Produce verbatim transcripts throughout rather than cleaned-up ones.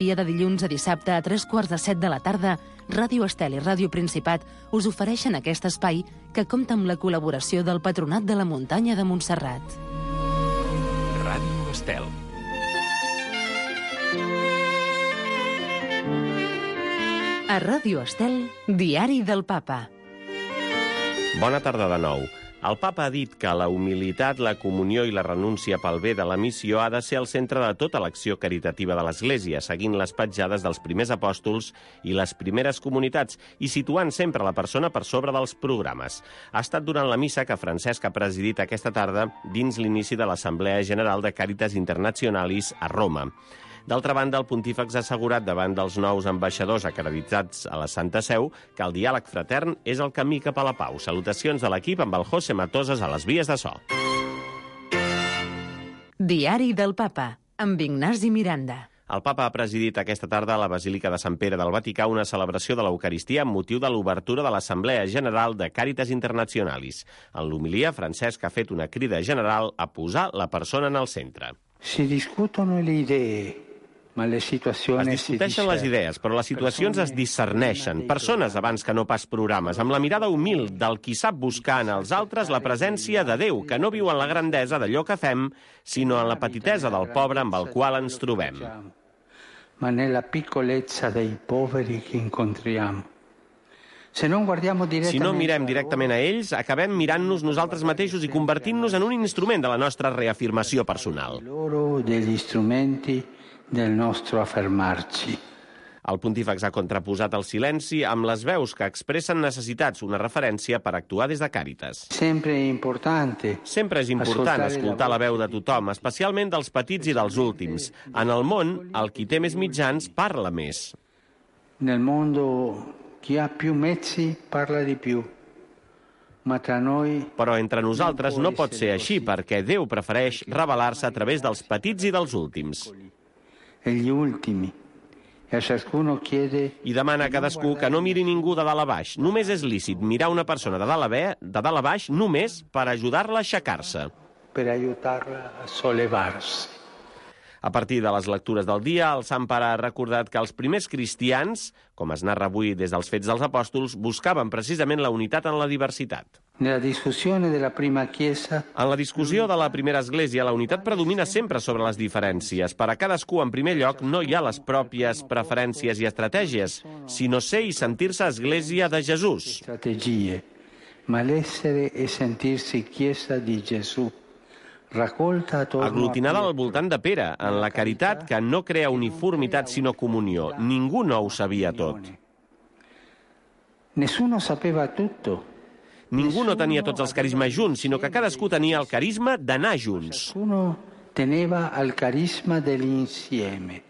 Dia de dilluns a dissabte a tres quarts de set de la tarda, Ràdio Estel i Ràdio Principat us ofereixen aquest espai que compta amb la col·laboració del Patronat de la Muntanya de Montserrat. Ràdio Estel. A Ràdio Estel, Diari del Papa. Bona tarda de nou. El papa ha dit que la humilitat, la comunió i la renúncia pel bé de la missió ha de ser el centre de tota l'acció caritativa de l'Església, seguint les petjades dels primers apòstols i les primeres comunitats i situant sempre la persona per sobre dels programes. Ha estat durant la missa que Francesc ha presidit aquesta tarda dins l'inici de l'Assemblea General de Caritas Internationalis a Roma. D'altra banda, el pontífex ha assegurat davant dels nous ambaixadors acreditats a la Santa Seu que el diàleg fratern és el camí cap a la pau. Salutacions de l'equip amb el José Matosas a les vies de so. Diari del Papa, amb Ignasi Miranda. El papa ha presidit aquesta tarda a la Basílica de Sant Pere del Vaticà una celebració de l'Eucaristia amb motiu de l'obertura de l'Assemblea General de Caritas Internationalis. En l'homilia, Francesc ha fet una crida general a posar la persona en el centre. Si discutono le idee, ma le situazioni es discuteixen les idees, però les situacions es discerneixen. Persones abans que no pas programes, amb la mirada humil del qui sap buscar en els altres la presència de Déu, que no viu en la grandesa d'allò que fem, sinó en la petitesa del pobre amb el qual ens trobem. Ma nella piccolezza dei poveri che incontriamo. Si no mirem directament a ells, acabem mirant-nos nosaltres mateixos i convertint-nos en un instrument de la nostra reafirmació personal. Degli strumenti del nostro affermarci. El pontífex ha contraposat el silenci amb les veus que expressen necessitats, una referència per actuar des de Càritas. Sempre importante. Sempre és important escoltar la veu de tothom, especialment dels petits i dels últims. En el món, el qui té més mitjans parla més. Nel mondo chi ha più mezzi parla di più. Ma tra noi... Però entre nosaltres no pot ser així, perquè Déu prefereix revelar-se a través dels petits i dels últims. E gli ultimi. E a ciascuno chiede... I demana a cadascú que no miri ningú de dalt a baix. Només és lícit mirar una persona de dalt a, be, de dalt a baix només per ajudar-la a aixecar-se. Per ajudar-la a sollevar-se. A partir de les lectures del dia, el Sant Pare ha recordat que els primers cristians, com es narra avui des dels Fets dels Apòstols, buscaven precisament la unitat en la diversitat. Nella discussione della prima chiesa... En la discussió de la primera església, la unitat predomina sempre sobre les diferències. Per a cadascú, en primer lloc, no hi ha les pròpies preferències i estratègies, sinó ser i sentir-se església de Jesús. Strategie, ma l'essere e sentirsi chiesa di Gesù. Aglutinada al voltant de Pere, en la caritat que no crea uniformitat sinó comunió. Ningú no ho sabia tot. Nessuno sapeva tutto. Ningú no tenia tots els carismes junts, sinó que cadascú tenia el carisma d'anar junts. Ciascuno teneva el carisma dell'insieme.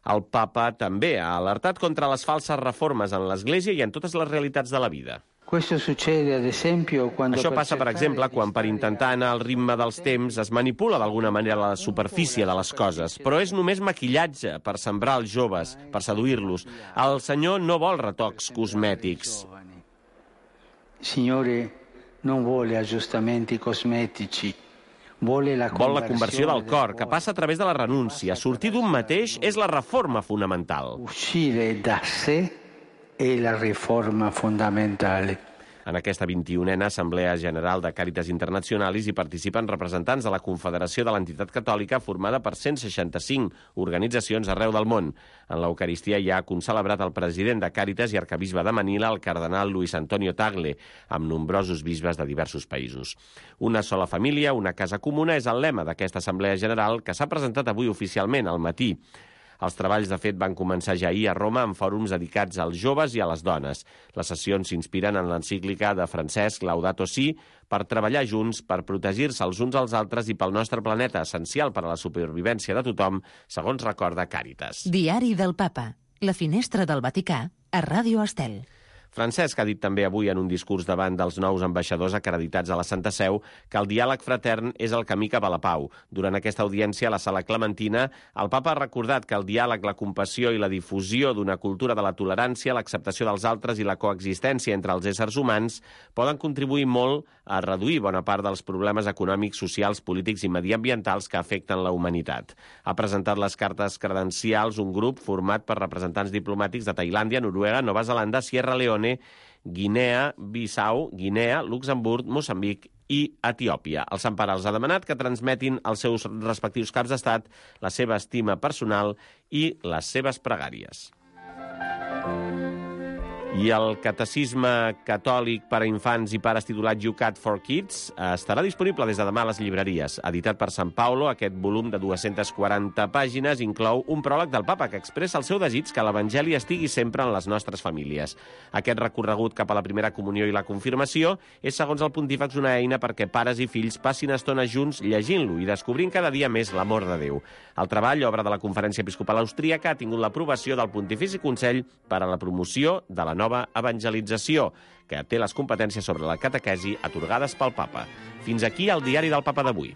El papa també ha alertat contra les falses reformes en l'Església i en totes les realitats de la vida. Questo succede, ad esempio, quando Això passa, per exemple, quan per intentar anar al ritme dels temps es manipula d'alguna manera la superfície de les coses, però és només maquillatge per sembrar els joves, per seduir-los. El Senyor no vol retocs cosmètics. Il Signore non vuole aggiustamenti cosmetici. Vol la conversió del cor, que passa a través de la renúncia. Sortir d'un mateix és la reforma fonamental. Uscire da sé è la riforma fondamentale. En aquesta vint-i-unena Assemblea General de Caritas Internationalis hi participen representants de la Confederació de l'Entitat Catòlica formada per cent seixanta-cinc organitzacions arreu del món. En l'Eucaristia hi ha concelebrat el president de Càritas i arcabisbe de Manila, el cardenal Luis Antonio Tagle, amb nombrosos bisbes de diversos països. Una sola família, una casa comuna és el lema d'aquesta Assemblea General que s'ha presentat avui oficialment al matí. Els treballs, de fet, van començar ja ahir a Roma amb fòrums dedicats als joves i a les dones. Les sessions s'inspiren en l'encíclica de Francesc Laudato Si per treballar junts, per protegir-se els uns als altres i pel nostre planeta, essencial per a la supervivència de tothom, segons recorda Càritas. Diari del Papa. La finestra del Vaticà a Ràdio Estel. Francesc ha dit també avui en un discurs davant dels nous ambaixadors acreditats a la Santa Seu que el diàleg fratern és el camí cap a la pau. Durant aquesta audiència a la Sala Clementina, el papa ha recordat que el diàleg, la compassió i la difusió d'una cultura de la tolerància, l'acceptació dels altres i la coexistència entre els éssers humans poden contribuir molt a reduir bona part dels problemes econòmics, socials, polítics i mediambientals que afecten la humanitat. Ha presentat les cartes credencials un grup format per representants diplomàtics de Tailàndia, Noruega, Nova Zelanda, Sierra Leone, Guinea, Bissau, Guinea, Luxemburg, Moçambic i Etiòpia. El Sant Pare els ha demanat que transmetin als seus respectius caps d'estat la seva estima personal i les seves pregàries. I el Catecisme Catòlic per a Infants i Pares titulat You Cat for Kids estarà disponible des de demà a les llibreries. Editat per Sant Paulo, aquest volum de dues-centes quaranta pàgines inclou un pròleg del papa que expressa el seu desig que l'Evangeli estigui sempre en les nostres famílies. Aquest recorregut cap a la primera comunió i la confirmació és, segons el pontífex, una eina perquè pares i fills passin estona junts llegint-lo i descobrint cada dia més l'amor de Déu. El treball, obra de la Conferència Episcopal Austríaca, ha tingut l'aprovació del Pontifici Consell per a la promoció de la nova evangelització, que té les competències sobre la catequesi atorgades pel papa. Fins aquí el diari del papa d'avui.